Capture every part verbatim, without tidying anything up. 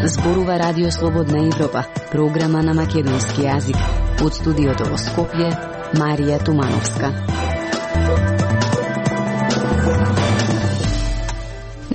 Зборува Радио Слободна Европа, програма на македонски јазик. Од студиото во Скопје, Марија Тумановска.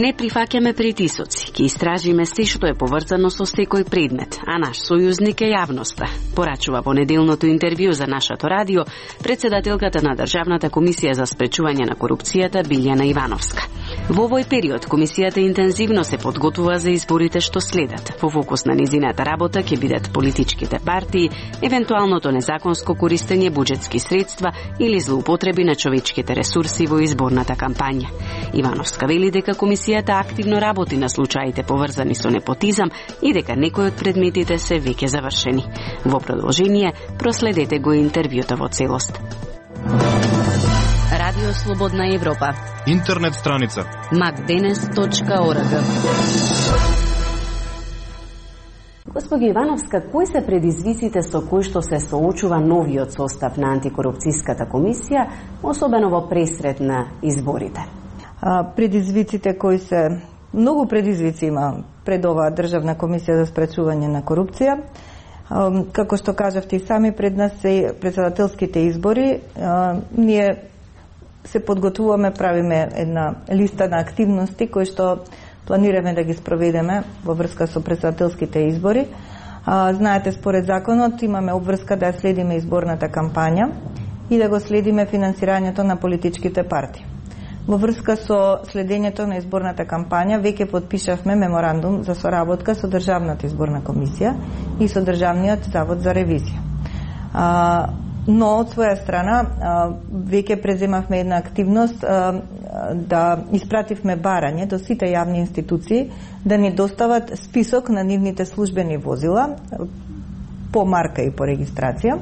Не прифаќаме притисоци, ќе истражиме се што е поврзано со секој предмет, а наш сојузник е јавноста, порачува во неделното интервју за нашето радио председателката на Државната комисија за спречување на корупцијата Билјана Ивановска. Во овој период комисијата интензивно се подготвува за изборите што следат. Во фокус на низината работа ќе бидат политичките партии, евентуалното незаконско користење буџетски средства или злоупотреби на човечките ресурси во изборната кампања. Ивановска вели дека комисијата активно работи на случаите поврзани со непотизам и дека некои од предметите се веќе завршени. Во продолжение, проследете го интервјуто во целост. Радио Слободна Европа. Интернет страница макденес точка орг. Господи Ивановска, кои се предизвиците со кои што се соочува новиот состав на антикорупцијската комисија, особено во пресред на изборите? А, предизвиците кои се многу предизвици има пред оваа Државна комисија за спречување на корупција. А, како што кажавте и сами, пред нас се председателските избори. А, ние се подготвуваме, правиме една листа на активности кои што планираме да ги спроведеме во врска со председателските избори. А, знаете, според законот имаме обврска да следиме изборната кампања и да го следиме финансирањето на политичките партии. Во врска со следењето на изборната кампања веќе потпишавме меморандум за соработка со Државната изборна комисија и со Државниот завод за ревизија. А, но од своја страна веќе преземавме една активност да испративме барање до сите јавни институции да ни достават список на нивните службени возила по марка и по регистрација,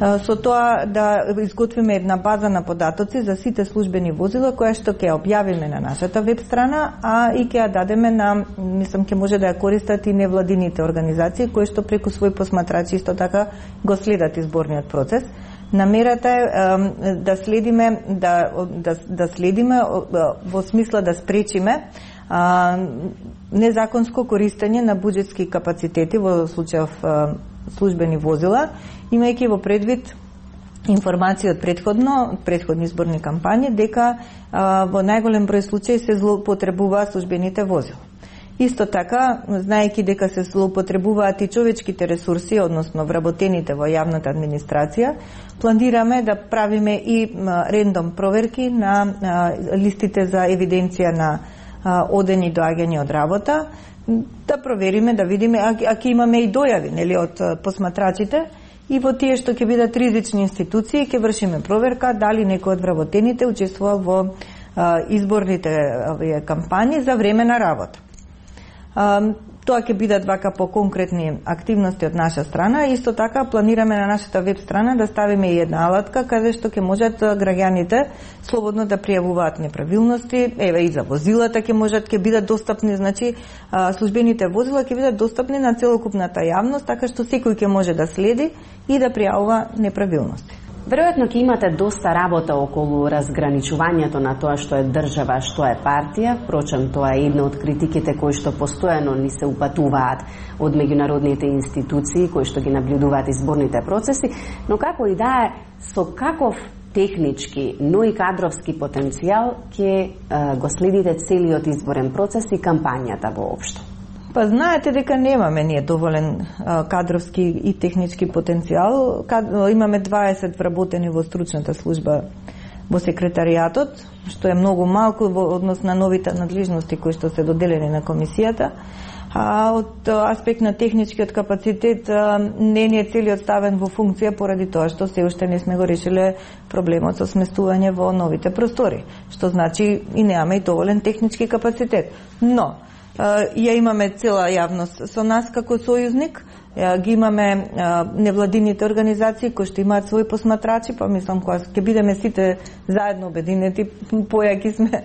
со тоа да изготвиме една база на податоци за сите службени возила која што ќе објавиме на нашата веб страна, а и ќе ја дадеме на, мислам, ќе може да ја користат и невладините организации кои што преку своји посматрачи исто така го следат изборниот процес. Намерата е да следиме да да, да следиме во смисла да спречиме а, незаконско користење на буџетски капацитети во случајов службени возила, имајќи во предвид информации од предходно, од предходни изборни кампањи, дека а, во најголем број случаи се злоупотребуваат службените возила. Исто така, знаејќи дека се злоупотребуваат и човечките ресурси, односно вработените во јавната администрација, планираме да правиме и а, рендом проверки на а, листите за евиденција на а, одени доаѓања од работа, да провериме, да видиме, а ќе имаме и дојави, нели, од посматрачите, и во тие што ќе бидат ризични институции ќе вршиме проверка дали некој од вработените учествувал во а, изборните а, кампањи за време на работа. А, тоа ќе бидат вака по конкретни активности од наша страна. Исто така планираме на нашата веб страна да ставиме и една алатка каде што ќе можат граѓаните слободно да пријавуваат неправилности. Еве и за возилата ќе можат ќе бидат достапни, значи службените возила ќе бидат достапни на целокупната јавност, така што секој ќе може да следи и да пријавува неправилности. Веројатно ќе имате доста работа околу разграничувањето на тоа што е држава, што е партија. Впрочем, тоа е една од критиките кои што постојано ни се упатуваат од меѓународните институции кои што ги наблюдуваат изборните процеси, но како и да е, со каков технички, но и кадровски потенцијал ќе го следите целиот изборен процес и кампањата воопшто? Па знаете дека немаме ние доволен а, кадровски и технички потенцијал. Кад, имаме дваесет вработени во стручната служба во секретаријатот, што е многу малку во однос на новите надлежности кои што се доделени на комисијата. А од аспект на техничкиот капацитет не ни е целиот ставен во функција поради тоа што се уште не сме го решиле проблемот со сместување во новите простори, што значи и немаме и доволен технички капацитет. Но ја имаме цела јавност со нас како сојузник, ги имаме невладините организации кои што имаат своји посматрачи, па мислам кога ќе бидеме сите заедно обединети, појаки сме.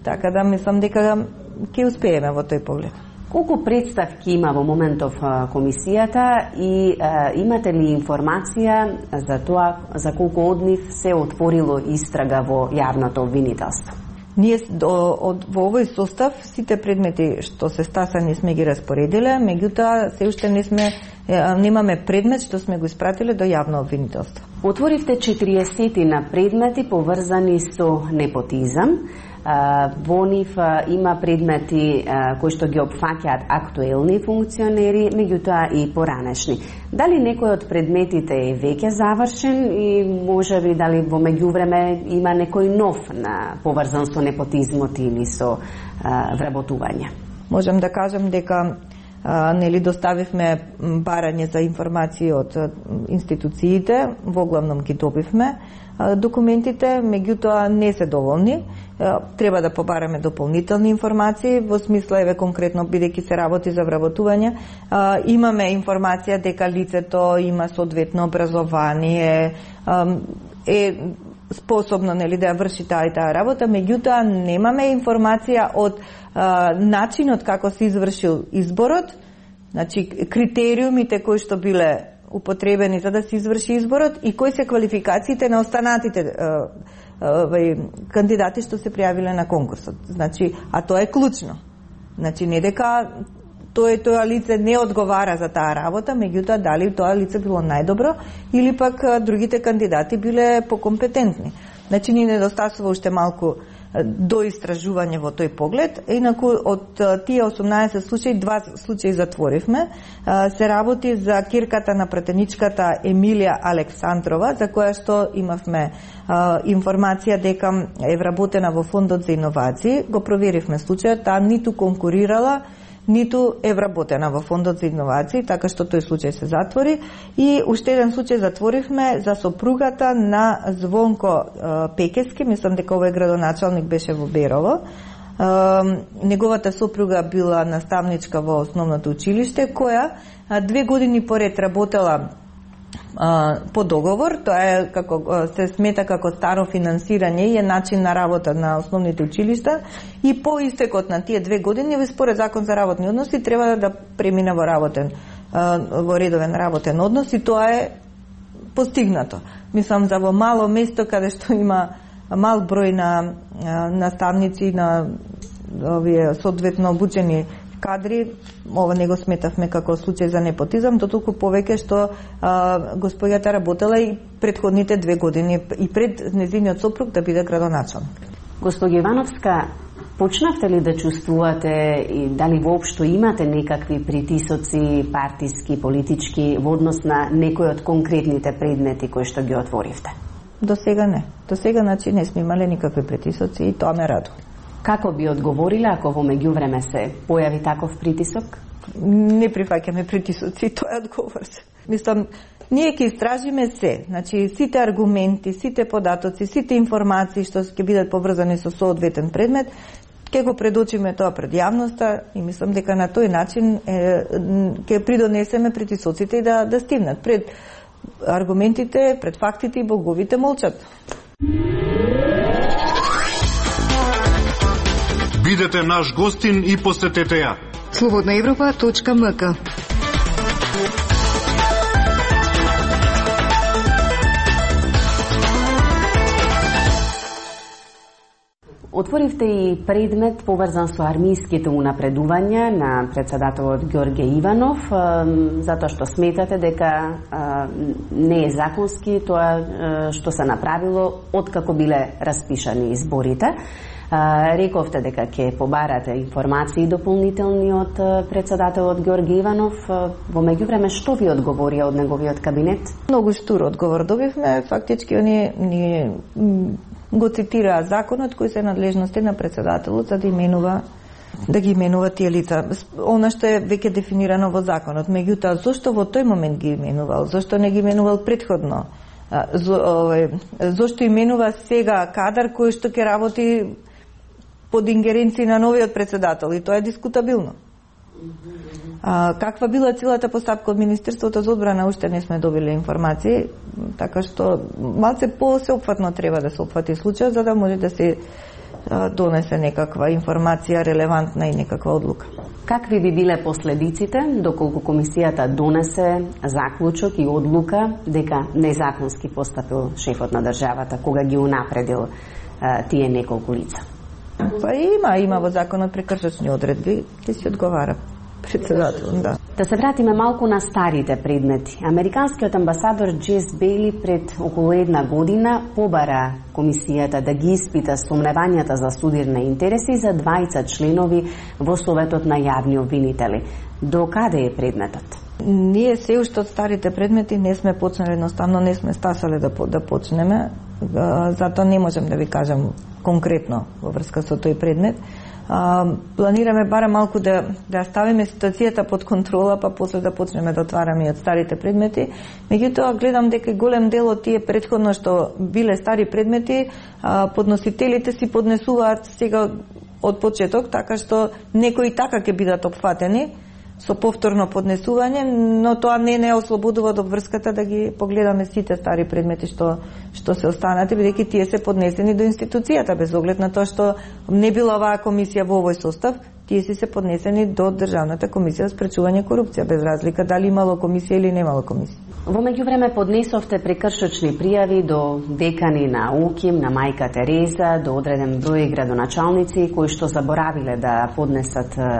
Така да мислам дека ќе успееме во тој поглед. Колку представки има во моментов комисијата и а, имате ли информација за тоа за колку од нив се отворило истрага во јавното обвинителство? Ние до, од, во овој состав сите предмети што се стасани сме ги распоредиле, меѓутоа се уште не сме немаме предмет што сме го испратиле до јавно обвинителство. Отворивте четириесет на предмети поврзани со непотизам. Во нив има предмети кои што ги опфаќаат актуелни функционери, меѓутоа и поранешни. Дали некој од предметите е веќе завршен и можеби дали во меѓувреме има некој нов на поврзан со непотизмот или со а, вработување? Можам да кажам дека а, нели доставивме барање за информации од институциите, во главном ги добивме документите, меѓутоа не се доволни. Треба да побараме дополнителни информации, во смисла еве конкретно бидејќи се работи за вработување, имаме информација дека лицето има соодветно образование, е способно нели да ја врши таа и таа работа, меѓутоа немаме информација од начинот како се извршил изборот, значи критериумите кои што биле употребени за да се изврши изборот и кои се квалификациите на останатите кандидати што се пријавиле на конкурсот. Значи, а тоа е клучно. Значи, не дека тој тоа лице не одговара за таа работа, меѓутоа дали тоа лице било најдобро или пак другите кандидати биле покомпетентни. Значи, ни недостасува уште малку до истражување во тој поглед. Инаку од тие осумнаесет случаи, два случаи затворивме. Се работи за кирката на пратеничката Емилија Александрова, за која што имавме информација дека е вработена во Фондот за иновации. Го проверивме случајот, таа ниту конкурирала, ниту е вработена во Фондот за иновации, така што тој случај се затвори. И уште еден случај затворивме за сопругата на Звонко Пекески, мислам дека овој градоначалник беше во Берово. Неговата сопруга била наставничка во основното училиште, која две години поред работела по договор, тоа е како се смета како старо финансирање и е начин на работа на основните училишта, и по истекот на тие две години според закон за работни односи треба да премине во работен во редовен работен однос, и тоа е постигнато. Мислам за во мало место каде што има мал број на наставници, на овие соодветно обучени кадри, ова не го сметавме како случај за непотизам, дотолку повеќе што а, господјата работела и предходните две години и пред незиниот сопруг да биде градоначалник. Госпоѓа Ивановска, почнавте ли да чувствувате и дали воопшто имате некакви притисоци партиски, политички во однос на некои од конкретните предмети кои што ги отворивте? До сега не. До сега значи не сме имале никакви притисоци и тоа ме радува. Како би одговорила ако во меѓувреме се појави таков притисок? Не прифаќаме притисоци, тоа е одговор. Мислам, ние ќе истражиме се, значи сите аргументи, сите податоци, сите информации што ќе бидат поврзани со соодветен предмет, ќе го предочиме тоа пред јавноста и мислам дека на тој начин е, ќе придонесеме притисоците и да, да стигнат пред аргументите, пред фактите и боговите молчат. Бидете наш гостин и посетете ја. слободна европа точка ем ка. Отворивте и предмет поврзан со армиските унапредувања на председателот Ѓорѓе Иванов, затоа што сметате дека не е законски тоа што се направило откако биле распишани изборите. Рековте дека ќе побарате информации дополнителни од председателот Ѓорѓе Иванов. Во меѓувреме, што ви одговорија од неговиот кабинет? Многу штур одговор добивме. Фактички они ни го цитираа законот кој се надлежности на председателот за да именува да ги именува тие лица. Она што е веќе дефинирано во законот. Меѓутоа, зошто во тој момент ги именувал? Зошто не ги именувал предходно? Зошто именува сега кадар кој што ќе работи под ингеренција на новиот председател, и тоа е дискутабилно. А, каква била целата постапка од Министерството за одбрана, уште не сме добили информации, така што малце посеопфатно треба да се опфати случајот за да може да се а, донесе некаква информација релевантна и некаква одлука. Какви би биле последиците доколку комисијата донесе заклучок и одлука дека незаконски постапил шефот на државата кога ги унапредил а, тие неколку лица? Па има, има во законот прекршочни одредби, ќе си одговара председател, да. Да се вратиме малку на старите предмети. Американскиот амбасадор Джес Бейли пред околу една година побара комисијата да ги испита сомневањата за судирни интереси за двајца членови во Советот на јавни обвинители. До каде е предметот? Ние се уште од старите предмети не сме почнали, едноставно не сме стасале да, да почнеме, затоа не можам да ви кажам конкретно во врска со тој предмет. А, планираме барем малку да, да ставиме ситуацијата под контрола, па после да почнеме да отвараме од старите предмети. Меѓутоа, гледам дека голем дел од тие претходно што биле стари предмети, а, подносителите си поднесуваат сега од почеток, така што некои така ќе бидат опфатени со повторно поднесување, но тоа не не ослободува од обврската да ги погледаме сите стари предмети што што се останати, бидејќи тие се поднесени до институцијата без оглед на тоа што не била оваа комисија во овој состав, тие си се поднесени до Државната комисија за спречување корупција, без разлика дали имало комисија или немало комисија. Во меѓувреме поднесовте прекршочни пријави до декани на УКИМ, на Мајка Тереза, до одреден број градоначалници кои што заборавиле да поднесат а,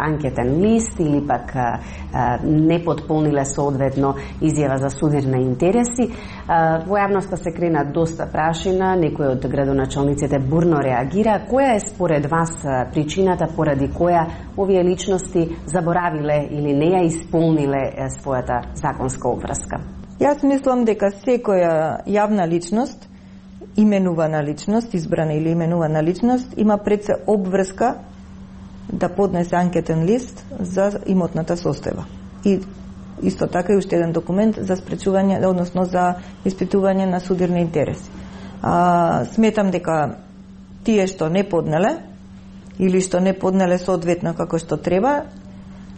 анкетен лист или пак а, не потполниле соодветно изјава за судирни интереси. А, во јавноста се крена доста прашина, некои од градоначалниците бурно реагира. Која е според вас причината поради која овие личности заборавиле или не ја исполниле својата законска обврска? Јас мислам дека секоја јавна личност, именувана личност, избрана или именувана личност, има пред се обврска да поднесе анкетен лист за имотната состојба. И исто така и уште еден документ за спречување, односно за испитување на судирни интереси. А, сметам дека тие што не поднеле или што не поднеле соодветно како што треба,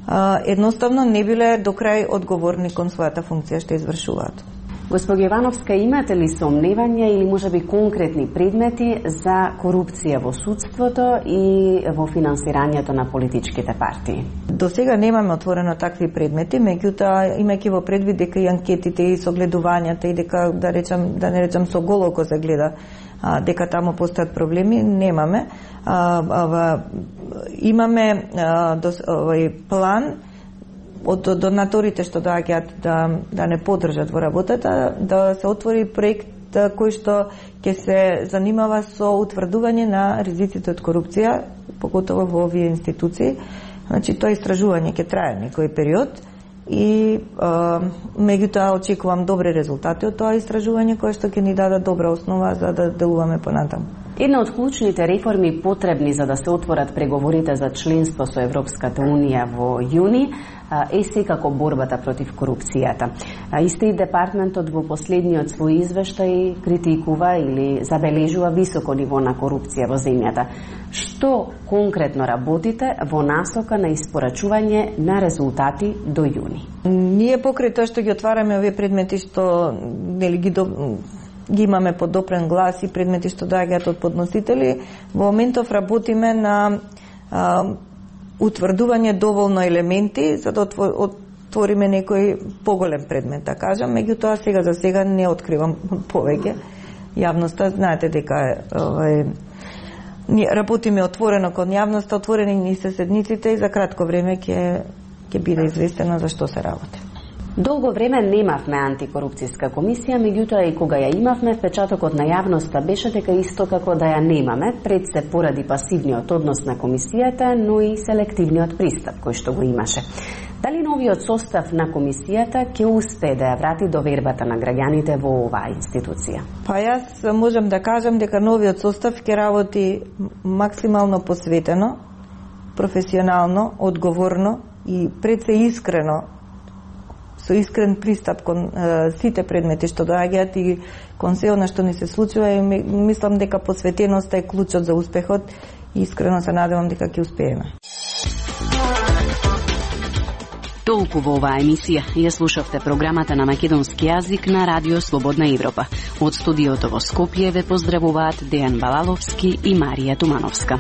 а, едноставно не биле до крај одговорни кон својата функција што извршуваат. Госпожа Ивановска, имате ли сомневања или можеби конкретни предмети за корупција во судството и во финансирањето на политичките партии? До сега немаме отворено такви предмети, меѓутоа имајќи во предвид дека и анкетите и согледувањата и дека да речам да не речам со голо око се гледа а, дека таму постојат проблеми, немаме. А, а, имаме а, дос, овој план од донаторите што доаѓаат да, да не поддржат во работата, да се отвори проект кој што ќе се занимава со утврдување на ризиците од корупција, поготово во овие институции. Значи, тоа истражување ќе трае некој период и а, меѓутоа очекувам добри резултати од тоа истражување кое што ќе ни даде добра основа за да делуваме понатаму. Една од клучните реформи потребни за да се отворат преговорите за членство со Европската Унија во јуни е секако борбата против корупцијата. Исти департментот во последниот свој извештај критикува или забележува високо ниво на корупција во земјата. Што конкретно работите во насока на испорачување на резултати до јуни? Ние покрај тоа што ги отвараме овие предмети што нели ги до... ги имаме подопрен глас и предмети што доаѓаат од подносители, во моментов работиме на а, утврдување доволно елементи за да отвориме некој поголем предмет, да кажам, меѓутоа сега за сега не откривам повеќе. Јавноста, знаете дека овај ние работиме отворено кон јавноста, отворени ни се седниците и за кратко време ќе ќе биде известено за што се работи. Долго време немавме антикорупцијска комисија, меѓутоа и кога ја имавме, впечатокот на јавноста беше дека исто како да ја немаме, пред се поради пасивниот однос на комисијата, но и селективниот пристап кој што го имаше. Дали новиот состав на комисијата ќе успее да ја врати довербата на граѓаните во оваа институција? Па јас можам да кажам дека новиот состав ќе работи максимално посветено, професионално, одговорно и пред се искрено, со искрен пристап кон е, сите предмети што доаѓаат и кон се она што ни се случува, и мислам дека посветеноста е клучот за успехот и искрено се надевам дека ќе успееме. Толку во оваа емисија ја слушавте програмата на македонски јазик на Радио Слободна Европа. Од студиото во Скопје ве поздравуваат Дејан Балаловски и Марија Тумановска.